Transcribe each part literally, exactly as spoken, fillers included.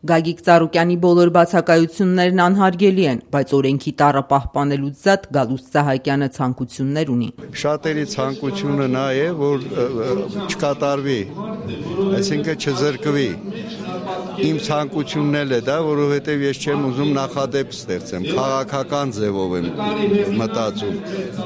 Գագիկ Ծառուկյանի բոլոր բացակայություններն անհարգելի են, բայց օրենքի տառը պահպանելուց զատ Գալուստ Սահակյանը ցանկություններ ունի։ Շատերի ցանկությունը նա է, որ չկատարվի, այսինքն չզրկվի։ Իմ ցանկությունն էլ է դա, որովհետև ես չեմ ուզում նախադեպ ստեղծեմ, քաղաքական ձևով եմ մտածում,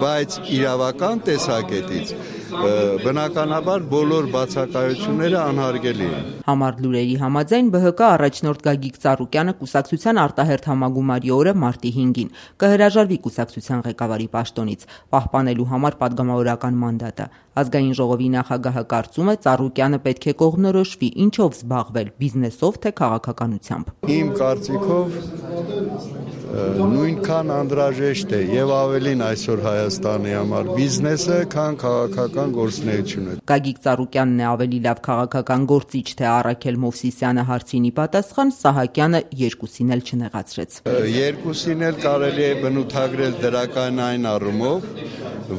բայց իրավական տեսակետից բնականաբար բոլոր բացակայությունները անհարգելի են։ Համառ լուրերի համաձայն Բ Հ Կ առաջնորդ Գագիկ Ծառուկյանը կուսակցության արտահերթ համագումարի օրը մարտի հինգին կհրաժարվի կուսակցության ղեկավարի պաշտոնից, պահպանելու համար պատգամավորական մանդատը։ Ազգային ժողովի նախագահը կարծում է Ծառուկյանը պետք է կողմնորոշվի ինչով զբաղվել՝ բիզնեսով թե քաղաքականությամբ։ Իմ կարծիքով նույնքան անհրաժեշտ է եւ ավելին այսօր Հայաստանի համար բիզնեսը, քան քաղաքական գործունեությունը։ Գագիկ Ծառուկյանն է ավելի լավ քաղաքական գործիչ թե Առաքել Մովսիսյանը հարցին ի պատասխան Սահակյանը երկուսին էլ չնեղացրեց։ Երկուսին էլ կարելի է բնութագրել դրական այն առումով,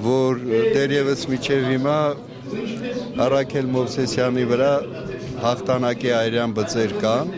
որ դեռևս մինչև հիմա Առաքել Մովսիսյանի վրա հաղթանակի այրյան բծեր կան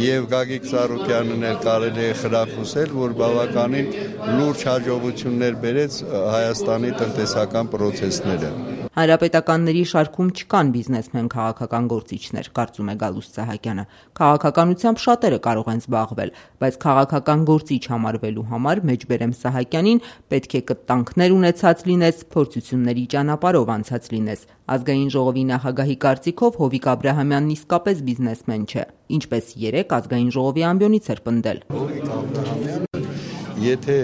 եւ Գագիկ Ծառուկյանն էլ կարելի է խրախուսել, որ բավականին լուրջ հաջողություններ բերեց Հայաստանի տնտեսական պրոցեսները։ Հանրապետականների շարքում չկան բիզնեսմեն քաղաքական գործիչներ, կարծում է Գալուստ Սահակյանը։ Քաղաքականությամբ շատերը կարող են զբաղվել, բայց քաղաքական գործիչ համարվելու համար Մեջբերեմ Սահակյանին պետք է կտանքներ ունեցած լինես, փորձությունների ճանապարհով անցած լինես։ Ազգային ժողովի նախագահի կարծիքով Հովիկ Աբրահամյանն իսկապես բիզնեսմեն չէ, ինչպես երեք ազգային ժողովի ամբիոնից էր պնդել։ Հովիկ Աբրահամյանը, եթե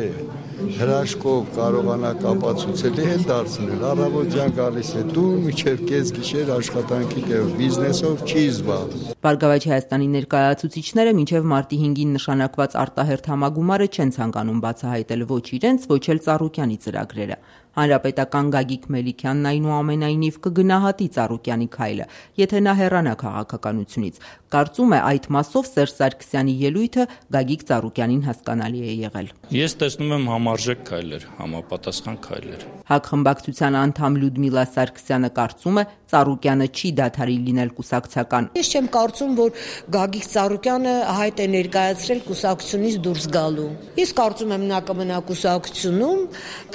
հրաշքով կարողանա կապացուցել է դարձնել, առավոտյան գալիս է դու մինչև կես գիշեր աշխատանքի տեղ, բիզնեսով չի զբաղվում։ Բարգավաճ Հայաստանի ներկայացուցիչները մինչև մարտի հինգին նշանակված արտահերթ համագումարը չեն ցանկանում բացահայտել ոչ իրենց, ոչ էլ Ծառուկյանի ծրագրերը։ Հանրապետական Գագիկ Մելիքյանն այնուամենայնիվ կգնահատի Ծառուկյանի քայլը, եթե նա հեռանա քաղաքականությունից։ Կարծում է այդ մասով Սերժ Սարգսյանի ելույթը Գագիկ Ծառուկյանին հասկանալի է եղել։ Ես տեսնում եմ համարժեք քայլեր, համապատասխան քայլեր։ ՀԱԿ խմբակցության անդամ Լյուդմիլա Սարգսյանը կարծում է Ծառուկյանը չի դադարի լինել կուսակցական։ Ես չեմ կարծում, որ Գագիկ Ծառուկյանը հայտ է ներկայացրել կուսակցությունից դուրս գալու։ Ես կարծում եմ նա կմնա կուսակցությունում,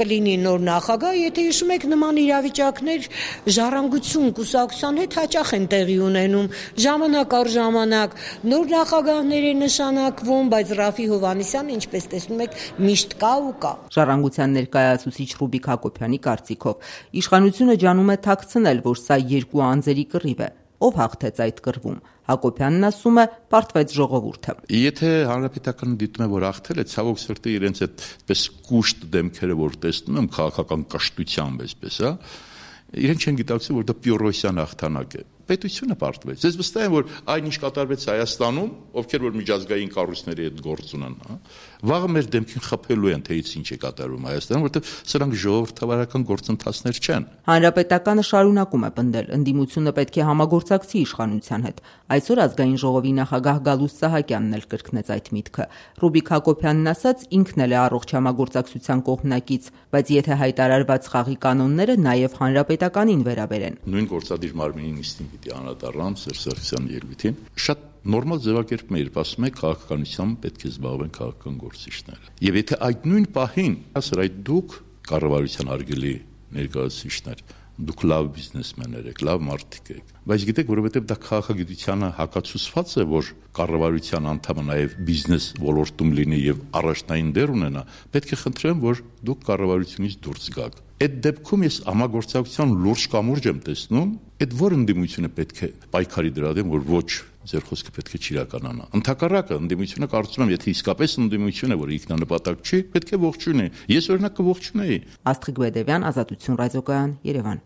կլինի նոր նախագահ, եթե հիշում եք նման իրավիճակներ ժառանգություն կուսակցության հետ հաճախ են տեղի ունենում, ժամանակ առ ժամանակ նոր նախագահներ են նշանակվում, բայց Ռաֆի Հովհաննիսյանը, ինչպես տեսնում եք, միշտ կա ու կա։ Ժառանգության ներկայացուցիչ Ռուբիկ Հակոբյանի կարծիքով իշխանությունը ջանում է թաքցնել, որ սա երկու անձերի կռիվ է։ Ով հաղթեց այդ կռվում։ Հակոբյանն ասում է, պարտվեց ժողովուրդը։ Եթե հանրապետականը դիտում է, որ հաղթել է, ցավոք սրտի իրենց այդպես կուշտ դեմքերը, որ տեսնում եմ քաղաքական կշտությամբ, այսպես, հա, իրենք չեն գիտակցում, որ դա Պյուրոսյան հաղթանակ է։ Պետությունը պարտվեց։ Ես վստահ եմ, որ այնինչ կատարվեց Հայաստանում, ովքեր որ միջազգային կառույցների հետ գործ ունեն, հա, վաղը մեր դեմքին խփելու են, թե ինչ է կատարվում Հայաստանում, որովհետև սրանք ժողովրդավարական գործընթացներ չեն։ Հանրապետականը շարունակում է պնդել, ընդդիմությունը պետք է համագործակցի իշխանության հետ։ Այսօր ազգային ժողովի նախագահ Գալուստ Սահակյանն էլ կրկնեց այդ միտքը։ Ռուբիկ Հակոբյանն ասաց, ինքն էլ է առողջ համագործակցության կողմնակից, բայց եթե հայտարարված խաղի կանոնները նաև հանրապետականին վերաբերեն։ Նույն գործադիր մարմինի նիստին պիտի անդրադառնամ Սերժ Սարգսյանի ելույթին։ Շատ նորմալ ձևակերպում է, երբ ասում է քաղաքականությամբ պետք է զբաղվեն քաղաքական գործիչները։ Եվ եթե այդ նույն պահին ասր այդ դուք կառավարության արգելի ներկայացուցիչներ, դուք լավ բիզնեսմեններ եք, լավ մարդիկ եք, բայց գիտեք, որովհետև դա քաղաքագիտությանը հակացուցված է, որ կառավարության անդամը նաև բիզնես ոլորտում լինի եւ առաջնային դեր ունենա, պետք է խնդրեմ, որ դուք կառավարությունից դուրս գաք։ Այդ դեպքում ես համագործակցության լուրջ կամուրջ եմ տեսնում, այդ որ ընդդիմությունը պետք է պայքարի դրա դեմ, որ ոչ ձեր խոսքը պետք է չիրականանա։ Ընդհակառակը ընդդիմությունը կարծում եմ, եթե իսկապես ընդդիմություն է, որ ինքնանպատակ չի, պետք է ողջունի։ Ես օրինակ կողջունեի։ Աստղիկ Բեդևյան, Ազատություն ռադիոկայան, Երևան։